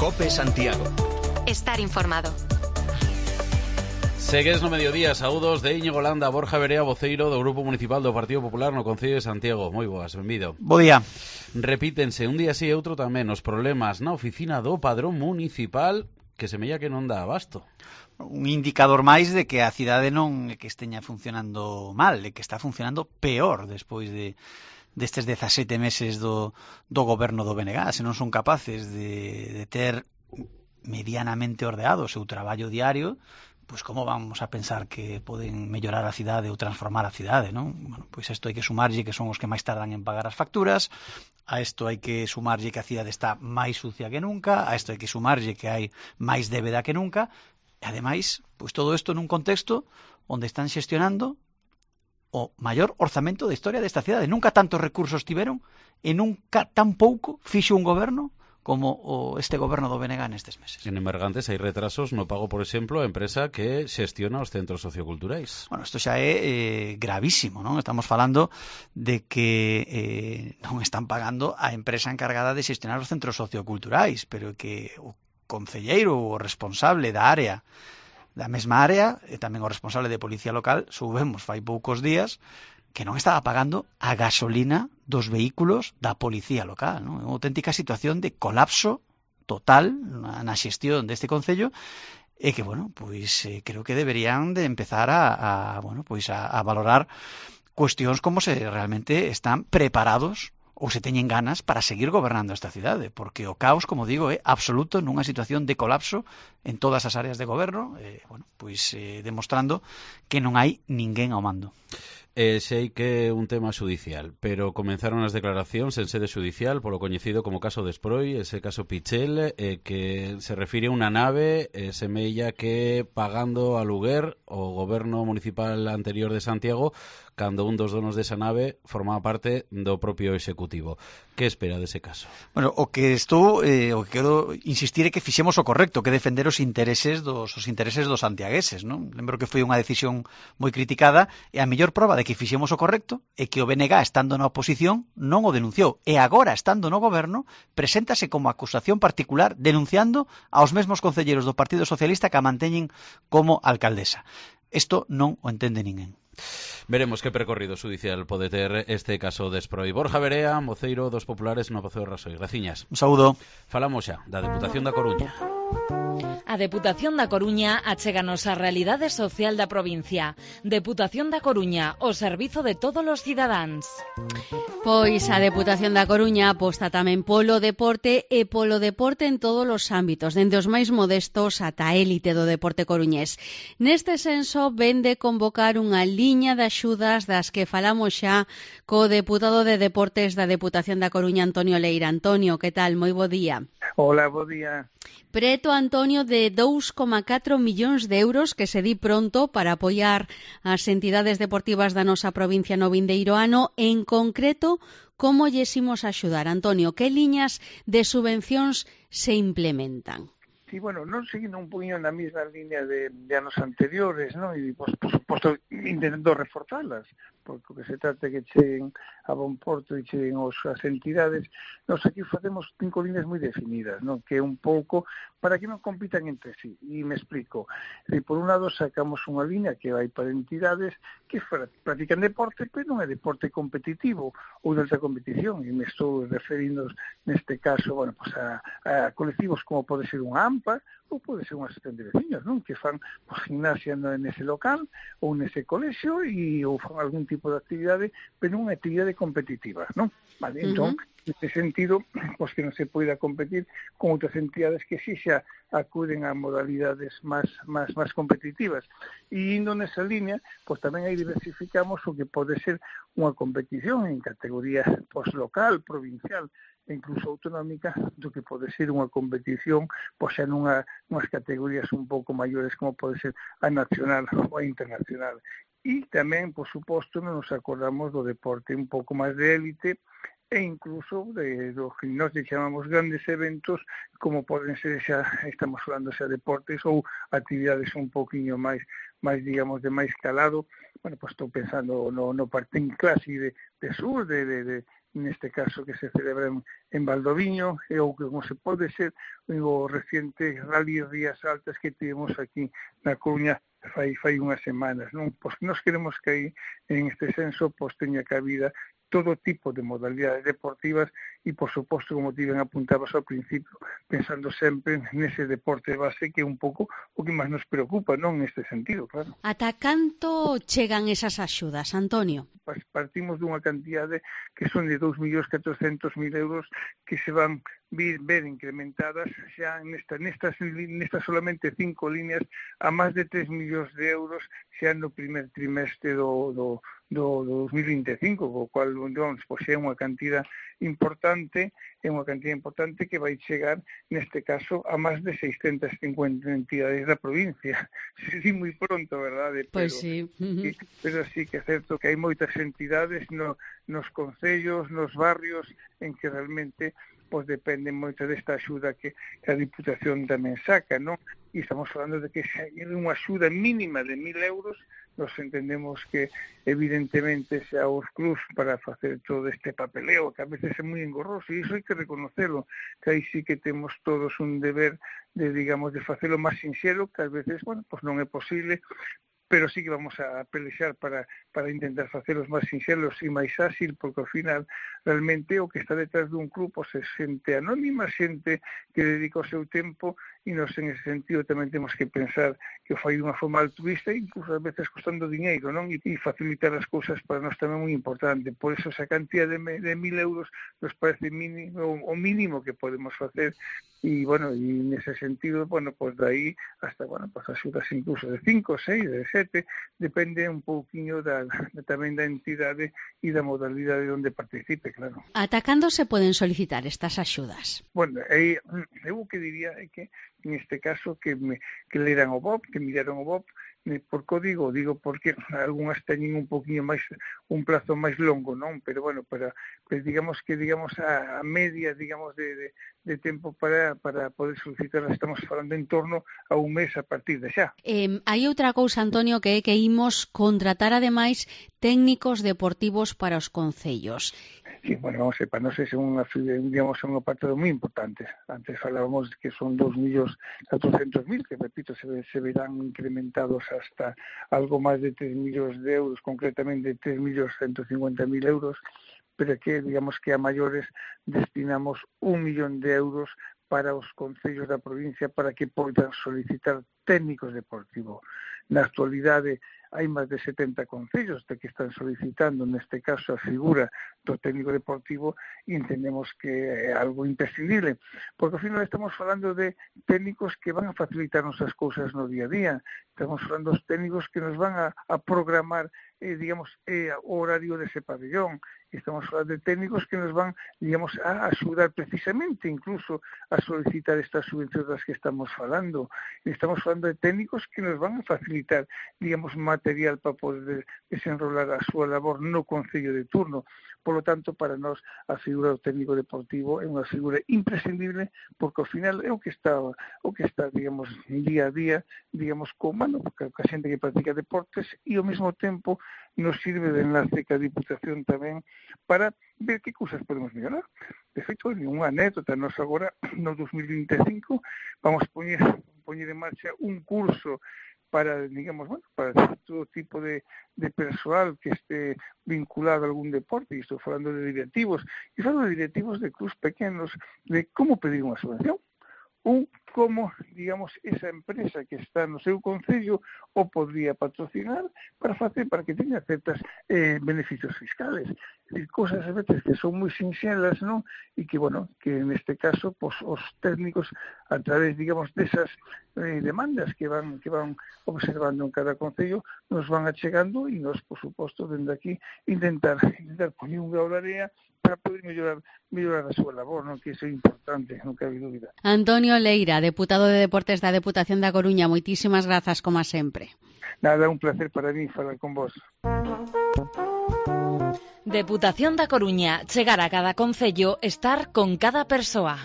COPE Santiago. Estar informado. Segues no mediodía, saúdos de Íñigo Landa, Borja Verea, voceiro do Grupo Municipal do Partido Popular no Concello de Santiago. Moi boas, benvido. Bo día. Repítense un día así e outro tamén os problemas na oficina do Padrón Municipal que semella que non dá abasto. Un indicador máis de que a cidade non é que esteña funcionando mal, é que está funcionando peor despois destes 17 meses do goberno do BNG. Se non son capaces de ter medianamente ordeado o seu traballo diario, pois como vamos a pensar que poden mellorar a cidade ou transformar a cidade, non? Bueno, pois isto hai que sumarlle que son os que máis tardan en pagar as facturas, a isto hai que sumarlle que a cidade está máis sucia que nunca, a isto hai que sumarlle que hai máis débeda que nunca, e ademais, pois todo isto nun contexto onde están xestionando o maior orzamento da historia desta cidade. Nunca tantos recursos tiveron e nunca tan pouco fixo un goberno como este goberno do BNG nestes meses. En Emergantes hai retrasos no pago, por exemplo, a empresa que xestiona os centros socioculturais. Bueno, isto xa é gravísimo, non? Estamos falando de que non están pagando a empresa encargada de xestionar os centros socioculturais, pero que o concelleiro ou o responsable da mesma área, e tamén o responsable de Policía Local, soubemos fai poucos días que non estaba pagando a gasolina dos vehículos da Policía Local, non? É unha auténtica situación de colapso total na xestión deste concello e que, bueno, pois creo que deberían de empezar a valorar cuestións como se realmente están preparados ou se teñen ganas para seguir gobernando esta cidade, porque o caos, como digo, é absoluto nunha situación de colapso en todas as áreas de goberno, demostrando que non hai ninguén ao mando. Sei que é un tema xudicial, pero comenzaron as declaracións en sede xudicial polo coñecido como caso Desproi, ese caso Pichel, que se refire a unha nave, semella que pagando aluguer o goberno municipal anterior de Santiago, cando un dos donos desa nave formaba parte do propio executivo. Que espera dese caso? Bueno, o que quero insistir é que fixemos o correcto, que defender os intereses dos santiagueses, non? Lembro que foi unha decisión moi criticada e a mellor proba de que fixemos o correcto é que o BNG, estando na oposición, non o denunciou. E agora, estando no goberno, preséntase como acusación particular denunciando aos mesmos concelleiros do Partido Socialista que a manteñen como alcaldesa. Isto non o entende ninguén. Veremos que percorrido judicial pode ter este caso Desproi. Borja Verea, voceiro dos populares no Pazo de Rasoy. Graciñas. Un saúdo. Falamos xa da Deputación da Coruña. A Deputación da Coruña achéganos a realidade social da provincia. Deputación da Coruña, o servizo de todos os cidadáns. Pois a Deputación da Coruña aposta tamén polo deporte e polo deporte en todos os ámbitos, dende os máis modestos ata a élite do deporte coruñés. Neste senso, vende convocar unha liña de axudas das que falamos xa co deputado de Deportes da Deputación da Coruña, Antonio Leira. Antonio, que tal? Moi bo día. Hola, bo día. Preto, Antonio, de 2,4 millóns de euros que se di pronto para apoiar as entidades deportivas da nosa provincia no vindeiro ano. En concreto, como lles imos axudar, Antonio? Que liñas de subvencións se implementan? Sí, bueno, non seguindo un poquinho na mesma línea de anos anteriores, non? E, por suposto, intentando reforzalas, porque o que se trata é que cheguen a bon porto e cheguen as entidades. Nos aquí facemos 5 líneas moi definidas, non? Que é un pouco para que non compitan entre sí. E me explico. Por un lado, sacamos unha línea que vai para entidades que practican deporte, pero non é deporte competitivo ou de alta competición. E me estou referindo neste caso, bueno, pues a colectivos como pode ser un AMPA ou pode ser unha asociación de veciños, non? Que fan gimnasia nese local ou nese colexio ou fan algún tipo de actividade, pero non unha actividade competitiva, non? Vale, entón, neste sentido, pois que non se poida competir con outras entidades que si xa acuden a modalidades máis competitivas. E indo nesa línea, pois tamén aí diversificamos o que pode ser unha competición en categoría local, provincial, e incluso autonómica, do que pode ser unha competición pois xa nunhas categorías un pouco maiores como pode ser a nacional ou a internacional. E tamén, por suposto, nos acordamos do deporte un pouco máis de élite e incluso do que nós chamamos grandes eventos como poden ser xa, estamos falando xa deportes ou actividades un pouquiño máis digamos, de máis calado. Bueno, pois estou pensando no Partín Clásico de Sur, de neste caso que se celebra en Valdoviño, e o que como se pode ser o reciente Rally Rías Altas que tivemos aquí na Coruña fai unhas semanas, non? Pois nós queremos que aí, en este senso, pois teña cabida todo tipo de modalidades deportivas e, por suposto, como ti ben apuntabas ao principio, pensando sempre nese deporte base que é un pouco o que máis nos preocupa, non? Neste sentido, claro. Ata canto chegan esas axudas, Antonio? Partimos dunha cantidade que son de 2.400.000 euros que se van ver incrementadas xa nestas solamente 5 líneas a máis de 3 millóns de euros xa no primer trimestre do 2025, co cual, pois, é unha cantidad importante que vai chegar, neste caso, a máis de 650 entidades da provincia. Sí, moi pronto, verdade? Pois sí. Pero sí que é certo que hai moitas entidades nos concellos, nos barrios, en que realmente pois depende moito desta axuda que a Diputación tamén saca, non? E estamos falando de que se hai unha axuda mínima de 1.000 euros, nos entendemos que evidentemente xa os clubs para facer todo este papeleo, que a veces é moi engorroso, e iso hai que reconocerlo, que aí sí que temos todos un deber de, digamos, de facelo máis sinxelo, que ás veces, bueno, pois non é posible, pero sí que vamos a pelexar para intentar facelos máis sinxelos e máis áxil, porque ao final realmente o que está detrás dun club pois é xente anónima, xente que dedica o seu tempo, e nos en ese sentido tamén temos que pensar que o fai dunha forma altruista, incluso ás veces costando diñeiro, non? E facilitar as cousas para nós tamén moi importante. Por eso esa cantidad de 1.000 euros nos parece o mínimo que podemos facer, e, bueno, e nese sentido, bueno, pois de aí hasta, bueno, pois axudas incluso de 5, 6, de 7, depende un pouquiño tamén da entidade e da modalidade onde participe, claro. Ata cando se poden solicitar estas axudas? Bueno, eu o que diría é que, neste caso, que leran o BOP, que miraron o BOP. Por que digo porque algunhas teñen un poquinho máis, un plazo máis longo, non? Pero, bueno, digamos a media, digamos, de tempo para poder solicitar, estamos falando en torno a un mes a partir de xa. Hai outra cousa, Antonio, que é que imos contratar, ademais, técnicos deportivos para os concellos. Sí, bueno, vamos a ver, para nós é un apartado moi importante. Antes falábamos que son 2.400.000, que, repito, se verán incrementados hasta algo máis de 3 millóns de euros, concretamente 3.150.000 euros, pero que, digamos que a maiores destinamos 1 millón de euros para os concellos da provincia para que poidan solicitar técnicos deportivos. Na actualidade hai máis de 70 concellos que están solicitando, neste caso, a figura do técnico deportivo, e entendemos que é algo imprescindible, porque ao final estamos falando de técnicos que van a facilitarnos as cousas no día a día, estamos falando dos técnicos que nos van a programar, digamos, o horario dese pabellón, estamos falando de técnicos que nos van, digamos, a axudar precisamente incluso a solicitar estas subvencións das que estamos falando, estamos falando de técnicos que nos van a facilitar, digamos, material para poder desenrolar a súa labor no concello de turno. Por lo tanto, para nós, a figura do técnico deportivo é unha figura imprescindible, porque ao final é o que está, digamos, día a día, digamos, como, porque a xente que practica deportes, e ao mesmo tempo nos sirve de enlace ca Diputación tamén para ver que cousas podemos mellorar. De feito, unha anécdota, nós agora, no 2025, vamos poñer en marcha un curso para, digamos, bueno, para todo tipo de persoal que esté vinculado a algún deporte, e estou falando de directivos, e falo de directivos de clubs pequenos, de como pedir unha subvención, como, digamos, esa empresa que está no seu concello o podría patrocinar para que teña certas beneficios fiscales. É dicir, cousas a veces que son moi sinxelas, non? E que, bueno, que neste caso, pues, os técnicos, a través, digamos, desas demandas que van observando en cada concello, nos van achegando, e nos, por suposto, dende aquí, intentar poñer un grau de area para poder mellorar a súa labor, non? Que iso é importante, non cabe dúbida. Antonio Leira, deputado de Deportes da Deputación da Coruña, moitísimas grazas, como sempre. Nada, un placer para mí falar con vos. Deputación da Coruña, chegar a cada concello, estar con cada persoa.